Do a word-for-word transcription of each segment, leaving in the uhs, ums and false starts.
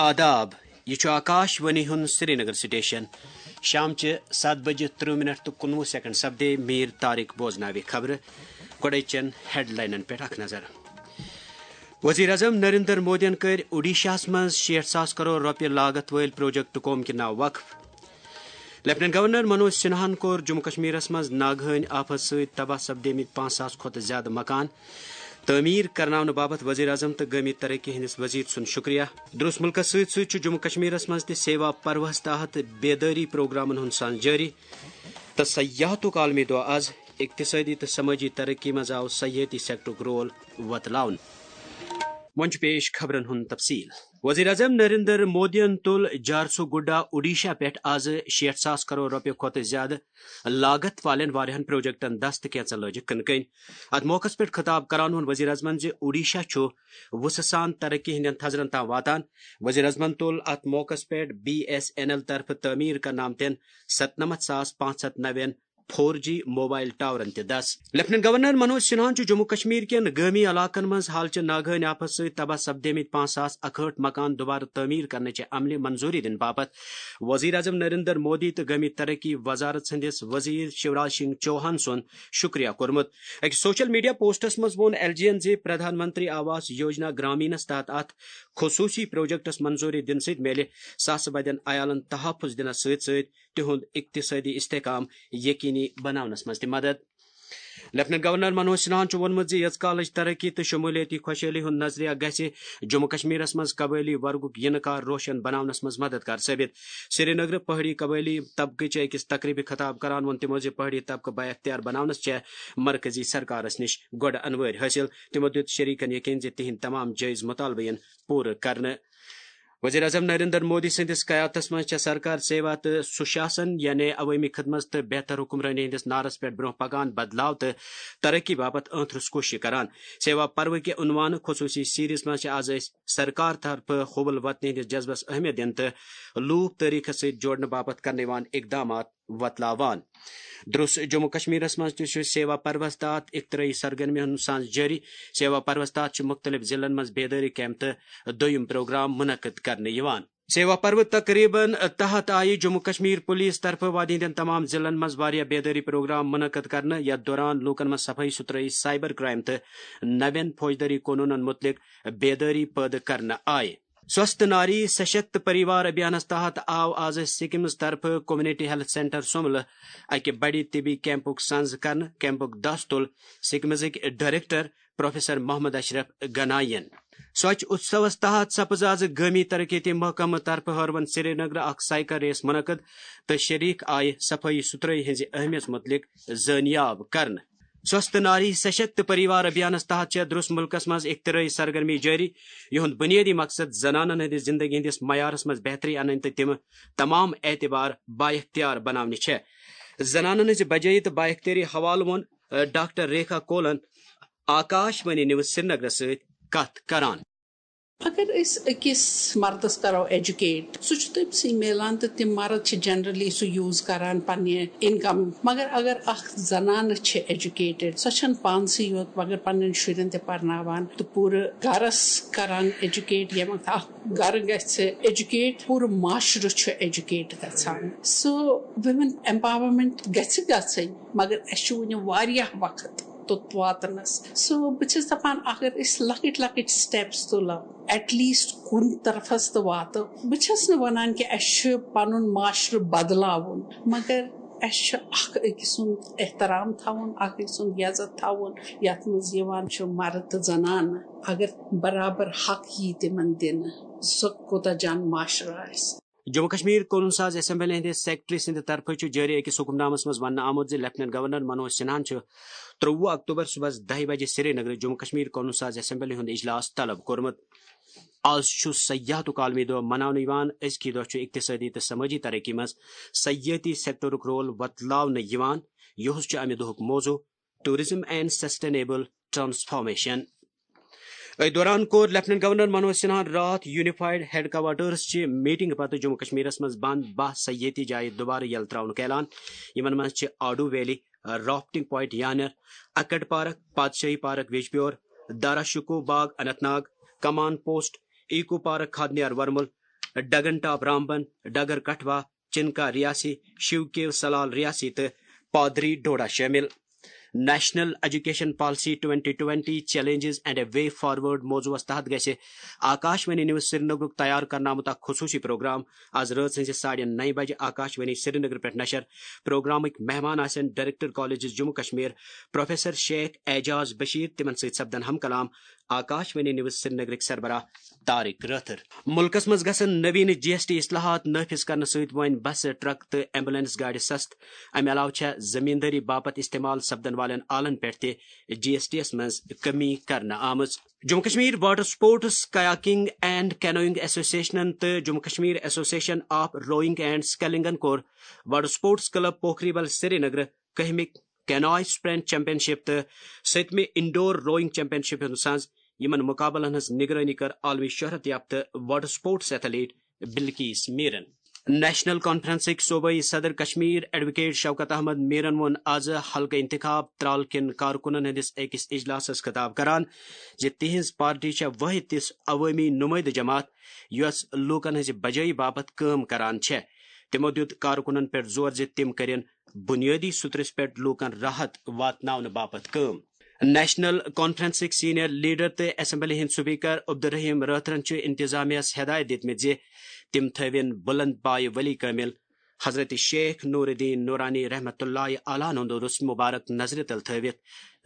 آداب، یہِ چھُ آکاش وانی ہُنٛد سرینگر سٹیشن۔ شامچہِ ستھ بجہِ ترٕہ منٹ تہٕ کُنوُہ سیکنڈ سپدے۔ میٖر طارق بوزناوِ خبرٕ۔ گۄڈے چٮ۪ن ہیڈلاینن پٮ۪ٹھ اکھ نظر۔ وزیر اعظم نریندر مودیَن کٔرۍ اوڈیشاہَس منٛز شیٹھ ساس کرور رۄپیہِ لاگت وٲلۍ پروجیکٹ قوم کہِ ناو وقف۔ لیفٹیننٹ گورنر منوج سنہاہن کوٚر جموں کشمیرس منٛز ناگہٲنۍ آفت سۭتۍ تباہ سپدیمٕتۍ پانٛژھ ساس کھۄتہٕ زیادٕ مکان تعمیٖر کرناونہٕ باپتھ وزیر اعظم تہٕ گٲمی ترقی ہٕنٛدِس وزیر سُنٛد شُکریہ۔ درست مُلکس سۭتۍ سۭتۍ چھُ جموں کشمیرس منٛز تہِ سیوا پروہس تحت بیدٲری پروگرامن ہُنٛد سان جٲری تہٕ سیاحتُک عالمی دۄہ از۔ اقتصٲدی تہٕ سمٲجی ترقی منٛز آو سیاحتی سیکٹرُک رول وۄتلاونہٕ۔ وۄنۍ چھُ پیش خبرن ہُنٛد تفصیل۔ وزیر اعظم نریندر مودیَن تُل جھارسوگوڈا اوڈیشہ پٮ۪ٹھ آز شیٹھ ساس کرور رۄپیہِ کھۄتہٕ زیادٕ لاگت والٮ۪ن واریاہن پروجیکٹن دست تہٕ کینژن لٲجِکھ کٕنہٕ کٔنۍ۔ اتھ موقعس پٮ۪ٹھ خطاب کران ووٚن وزیر اعظمن زِ اوڈیشہ چھُ وُسہٕ سان ترقی ہٕنٛدٮ۪ن تھزرن تام واتان۔ وزیر اعظمن تُل اتھ موقعس پٮ۪ٹھ بی ایس این ایل طرفہٕ تعمیٖر کرنہٕ آمتٮ۪ن ستنمتھ ساس پانٛژھ ہتھ نوٮ۪ن فور جی موبائل ٹاورن تہِ دس۔ لیفٹیننٹ گورنر منوج سنہاہن چھُ جموں کشمیر کٮ۪ن گٲمی علاقن منٛز حالچہِ ناگہٲنۍ آفت سۭتۍ تباہ سپدیمٕتۍ پانٛژھ ساس اکہٲٹھ مکان دوبارٕ تعمیٖر کرنٕچہِ عملہِ منظوٗری دِنہٕ باپتھ وزیر اعظم نریندر مودی تہٕ گٲمی ترقی وزارت سٕنٛدِس وزیر شیوراج سنگھ چوہان سُنٛد شُکریہ کوٚرمُت۔ أکِس سوشل میڈیا پوسٹس منٛز ووٚن ایل جی یَن زِ پردھان منتری آواس یوجنا گرامینس تحت اتھ خصوٗصی پروجیکٹس منظوٗری دِنہٕ سۭتۍ میلہِ ساسہٕ بٔدٮ۪ن عیالن تحفظ دِنس سۭتۍ سۭتۍ تِہُنٛد اقتصٲدی استحکام یقینی بناونس منٛز تہِ مدد۔ لیفٹیننٹ گورنر منوج سنہاہن چھُ ووٚنمُت زِ ییٖژ کالٕچ ترقی تہٕ شمولیتی خۄشحٲلی ہُنٛد نظریہ گژھِ جموں کشمیرس منٛز قبٲیلی ورگُک یِنہٕ کار روشن بناونس منٛز مددگار ثٲبت۔ سرینگرٕ پہٲڑی قبٲیلی طبقٕچہِ أکِس تقریبہِ خطاب کران ووٚن تِمو زِ پہٲڑی طبقہٕ بااختیار بناونس چھےٚ مرکزی سرکارس نِش گۄڈٕ انوٲرۍ حٲصِل۔ تِمو دیُت شریکن یقین زِ تِہنٛدۍ تمام جٲیز مطالبہٕ یِن پوٗرٕ کرنہٕ۔ وزیر اعظم نریندر مودی سٕنٛدِس قیادتس منٛز چھےٚ سرکار سیوا تہٕ سُشاسن، یعنی عوٲمی خدمت تہٕ بہتر حکمرٲنی ہٕنٛدِس نعرس پٮ۪ٹھ برٛونٛہہ پکان، بدلاو تہٕ ترقی باپتھ أہنٛدرس کوٗشش کران۔ سیوا پروٕ کہِ عنوانہٕ خصوٗصی سیریز منٛز چھِ از أسۍ سرکار طرفہٕ حُبل وطنی ہٕنٛدِس جذبس اہمیت دِنہٕ تہٕ لوٗکھ تٲریخس سۭتۍ جوڑنہٕ باپتھ کرنہٕ یِوان اقدامات وۄتلاوان۔ درس جموں کشمیرس منٛز تہِ چھُ سیوا پروس تحت اختراعی سرگرمی ہُنٛد سانز جٲری۔ سیوا پروس تحت چھِ مُختٔلِف ضلعن منٛز بیدٲری کیمپ تہٕ دوٚیِم پروگرام منعقد کرنہٕ یِوان۔ سیوا پروٕ تقریبن تحت آیہِ جموں کشمیر پولیس طرفہٕ وادی ہٕنٛدٮ۪ن تمام ضلعن منٛز واریاہ بیدٲری پروگرام منعقد کرنہٕ، یتھ دوران لوٗکن منٛز صفٲیی ستھرٲیی، سائبر کرائم تہٕ نوٮ۪ن فوجدٲری قونوٗنن مُتعلق بیدٲری پٲدٕ کرنہٕ آیہِ۔ سوستھ ناری سشکت پریوار ابھیانس تحت آو آز سکمز طرفہٕ کمیونٹی ہیلتھ سینٹر سوملہٕ اکہِ بڑِ طبی کیمپُک سنز کرنہٕ۔ کیمپُک دس تُل سکمزٕکۍ ڈائریکٹر پروفیسر محمد اشرف گنائی ین۔ سوچھ اتسوس تحت سپز آز گٲمی ترقیتی محکمہٕ طرفہٕ ہٲروَن سرینگرٕ اکھ سائیکل ریس منعقد تہٕ شریک آیہِ صفٲیی ستھرٲیی ہٕنٛزِ اہمیت مُتعلق زٲنیاب کرنہٕ۔ سوستھ ناری سشکت پریوار ابھیانس تحت چھےٚ درس مُلکس منٛز اختراعی سرگرمی جٲری، یِہُنٛد بُنیٲدی مقصد زنانن ہٕنٛدِ زندگی ہٕنٛدِس معیارس منٛز بہتری انٕنۍ تہٕ تِم تمام اعتبار بااختیار بناونہِ چھےٚ۔ زنانن ہٕنٛزِ بجٲیی تہٕ بااختیٲری حوالہٕ ووٚن، ڈاکٹر ریکھا کولن آکاش وانی نیوز سرینگرس سۭتۍ کتھ کران۔ اگر أسۍ أکِس مردس کرو ایجوکیٹ، سُہ چھُ تٔمۍ سٕے میلان تہٕ تِم مرد چھِ جنرلی سُہ یوٗز کران پننہِ انکم۔ مگر اگر اکھ زنانہٕ چھِ ایجوکیٹڈ، سۄ چھنہٕ پانسٕے یوت مگر پننٮ۪ن شُرٮ۪ن تہِ پرناوان تہٕ پوٗرٕ گرس کران ایجوکیٹ۔ ییٚمہِ وقتہٕ اکھ گرٕ گژھِ ایجوکیٹ، پوٗرٕ معاشرٕ چھُ ایجوکیٹ گژھان۔ سو ویمن ایمپاورمنٹ گژھِ گژھٕنۍ، مگر اسہِ چھُ وُنہِ واریاہ وقت توٚت واتنس۔ سو بہٕ چھَس دَپان، اگر أسۍ لۄکٕٹۍ لۄکٕٹۍ سٹیپس تُلو، ایٹ لیسٹ کُنہِ طرفس تہٕ واتو۔ بہٕ چھَس نہٕ وَنان کہِ اَسہِ چھُ پَنُن معاشرٕ بدلاوُن، مگر اَسہِ چھُ اکھ أکۍ سُنٛد احترام تھاوُن، اکھ أکۍ سُنٛد عزت تھاوُن، یَتھ منٛز یِوان چھُ مرد تہٕ زنانہٕ۔ اگر برابر حق یی تِمن دِنہٕ، سُہ کوٗتاہ جان معاشرٕ آسہِ۔ جموں کشمیر قونوٗن ساز اسمبلی ہٕنٛدِ سیکرٹری سٕنٛدِ طرفہٕ چھُ جٲری أکِس حکم نامس منٛز وننہٕ آمُت زِ لیفٹیننٹ گورنر منوج سنہاہن چھُ ترٛۆوُہ اکتوبر صبحس دَہہِ بجہِ سرینگرٕ جموں کشمیر قونوٗن ساز اسمبلی ہُنٛد اجلاس طلب کوٚرمُت۔ از چھُ سیاحتُک عالمی دۄہ مناونہٕ یِوان۔ أزکی دۄہ چھُ اقتصٲدی تہٕ سمٲجی ترقی منٛز سیاحتی سیکٹرُک رول وۄتلاونہٕ یِوان۔ یُہُس چھُ امہِ دۄہُک موضوع Tourism and Sustainable Transformation۔ أتھۍ دوران کوٚر لیفٹیننٹ گورنر منوج سنہاہن راتھ یونیفائیڈ ہیڈ کوارٹرز چہِ میٹنگ پتہٕ جموں کشمیرس منٛز بند باہ سیاحتی جایہِ دوبارٕ یلہٕ تراونُک اعلان۔ یِمن منٛز چھِ Aadoo valley, rafting point Yaner, Akad park, Padshahi park Vijbror, Dara Shikoh Bagh Anant Nag, Kaman post, eco park Khadniyar Varmul, Dagan top Ramban, Dagar Kathua, Chinka Reasi, Shiv cave Salal Reasi تہٕ پادری ڈوڈا شٲمِل۔ National Education Policy twenty twenty Challenges and a Way Forward موضوعس تحت گژھِ آکاش وانی نیوز سرینگرُک تیار کرنہٕ آمُت اکھ خصوٗصی پروگرام آز رٲژ ہٕنزِ ساڑِ نَیہِ بجہِ آکاش وانی سرینگر پٮ۪ٹھ نشر۔ پروگرامٕکۍ مہمان آسن director colleges Jammu Kashmir professor Sheikh Ejaz Bashir, تِمن سۭتۍ سپدن ہم کلام آکاش وانی نیوز سرینگرٕکۍ سربراہ طارق رٲتھر۔ ملکس منٛز گژھن نوین جی ایس ٹی اصلاحات نافذ کرنہٕ سۭتۍ وۄنۍ بسہٕ، ٹرک تہٕ ایمبولینس گاڑِ سست۔ امہِ علاوٕ چھےٚ زمیندٲری باپتھ استعمال سپدن والٮ۪ن آلن پٮ۪ٹھ تہِ جی ایس ٹی یس منٛز کمی کرنہٕ آمٕژ۔ Jammu Kashmir water sports kayaking and canoeing ایسوسیشنن تہٕ Jammu Kashmir association of rowing and سکیلنگن کوٚر water sports club Pokhri Bal Srinagar کٔہمہِ کینوائے اسپرنٹ چیمپین شپ تہٕ سٔتمہِ انڈور روئنگ چیمپین شپ ہُنٛد سنز۔ یِمن مقابلن ہٕنٛز نگرٲنی کٔر عالمی شہرت یافتہٕ واٹر سپورٹس ایتھلیٹ بلقیس میرن۔ نیشنل کانفرنسٕکۍ صوبٲئی صدر کشمیر ایڈووکیٹ شوکت احمد میرن ووٚن آز حلقہٕ انتخاب ترال کٮ۪ن کارکنن ہٕنٛدِس أکِس اجلاسس خطاب کران زِ تِہنٛز پارٹی چھےٚ وٲحد تِژھ عوٲمی نمٲیدٕ جماعت یۄس لوٗکن ہٕنٛزِ بجٲیی باپتھ کٲم کران چھےٚ۔ تِمو دیُت کارکنن پٮ۪ٹھ زور زِ تِم کٔرِن بنیٲدی سطرس پٮ۪ٹھ لوٗکن راحت واتناونہٕ باپتھ کٲم۔ نیشنل کانفرنسٕکۍ سینئر لیڈر تہٕ اسمبلی ہٕنٛدۍ سپیکر عبدالرحیم رٲتھرن چھُ انتظامیہس ہدایت دِتمٕتۍ زِ تِم تھٲوِن بلند پایہِ ولی کٲمل حضرت شیخ نور الدین نورانی رحمتہ اللہ علیہ ہُنٛد عرس مبارک نظرِ تل تھٲوِتھ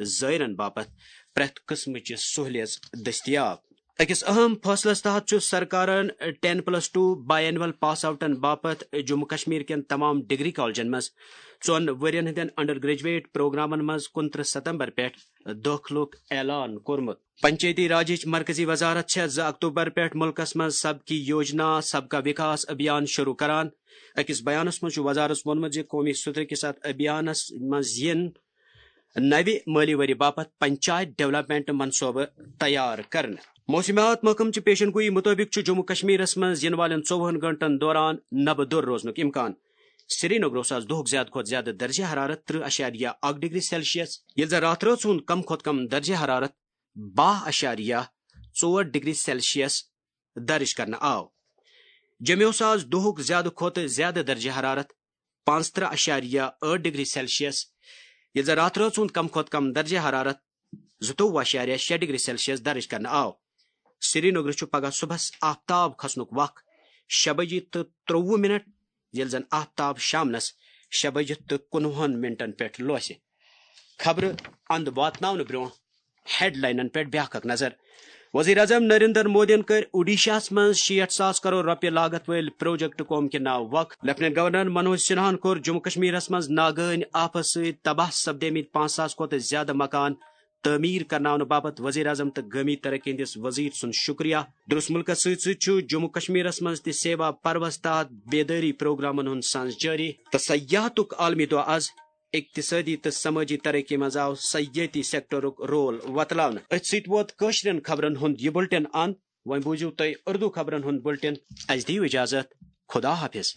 زائرن باپتھ پرٛٮ۪تھ قٕسمٕچ سہولیژ دٔستیاب۔ أکِس اہم فٲصلس تحت چھُ سرکارن ten plus two biannual pass آؤٹن باپتھ جموں کشمیر کٮ۪ن تمام ڈگری کالجن منٛز ژۄن ؤرین ہٕنٛدٮ۪ن انڈر گریجویٹ پروگرامن منٛز کُنترٕہ ستمبر پٮ۪ٹھ دٲخلُک اعلان کوٚرمُت۔ پنچایتی راجٕچ مرکزی وزارت چھےٚ زٕ اکتوبر پٮ۪ٹھ ملکس منٛز سب کی یوجنا سب کا وکاس ابھیان شروع کران۔ أکِس بیانس منٛز چھُ وزارتس ووٚنمُت زِ قومی سطرٕ کِس اتھ ابھیانس منٛز یِن نوِ مٲلی ؤری باپتھ پنچایت ڈیولپمنٹ منصوبہٕ تیار کرنہٕ۔ موسمیات محکمہٕ چہِ پیشن گویی مُطٲبِق چھُ جموں کشمیرس منٛز یِنہٕ والٮ۪ن ژوٚوُہن گھنٹن دوران نبہٕ دوٚر روزنُک امکان۔ سرینگرس آز دۄہُک زیادٕ کھۄتہٕ زیادٕ درجہ حرارت ترٕہ اعشاریہ اکھ ڈگری سیلسیس، ییٚلہِ زن راتھ رٲژ ہُنٛد کم کھۄتہٕ کم درجہ حرارت باہ اعشاریہ ژور ڈگری سیلسیس درج کرنہٕ آو۔ جوٚمہِ اوس آز دۄہُک زیادٕ کھۄتہٕ زیادٕ درجہ حرارت پانٛژترٕہ اعشاریہ ٲٹھ ڈگری سیلسیس، ییٚلہِ زن راتھ رٲژ ہُنٛد کم کھۄتہٕ کم درجہ حرارت زٕتووُہ اعشاریہ شےٚ ڈگری سیلسیس درج کرنہٕ آو۔ سرینگرٕ چھُ پگہہ صبحس آفتاب کھسنُک وق شےٚ بجہِ تہٕ ترٛوٚوُہ منٹ، ییٚلہِ زن آفتاب شامنس شےٚ بجہِ تہٕ کُنوُہن منٹن پٮ۪ٹھ لوسہِ۔ خبرٕ اند واتناونہٕ برونٛہہ ہیڈلاینن پٮ۪ٹھ بیاکھ اکھ نظر۔ وزیر اعظم نریندر مودیَن کٔرۍ اوڈیشاہَس منٛز شیٹھ ساس کرور رۄپیہِ لاگت وٲلۍ پروجیکٹ قوم کے ناو وقف۔ لیفٹیننٹ گورنر منوج سنہاہَن کوٚر جموں کشمیرَس منٛز ناگٲنۍ آفہٕ سۭتۍ تباہ سپدیمٕتۍ پانٛژھ ساس کھۄتہٕ زیادٕ مکان تعمیٖر کرناونہٕ باپتھ وزیر اعظم تہٕ گٲمی ترقی ہٕنٛدِس وزیر سُنٛد شُکریہ۔ درس مُلکَس سۭتۍ سۭتۍ چھُ جموں کشمیرَس منٛز تہِ سیوا پروَس تحت بیدٲری پروگرامَن ہُنٛد سنز جٲری تہٕ سیاحتُک عالمی دۄہ آز۔ اقتصٲدی تہٕ سمٲجی ترقی منٛز آو سیٲحتی سیکٹرُک رول وۄتلاونہٕ۔ أتھۍ سۭتۍ ووت کٲشرٮ۪ن خبرن ہُنٛد یہِ بُلٹن اند۔ وۄنۍ بوٗزِو تُہۍ اردو خبرن ہُنٛد بُلٹن۔ اَسہِ دِیِو اجازت۔ خدا حافظ۔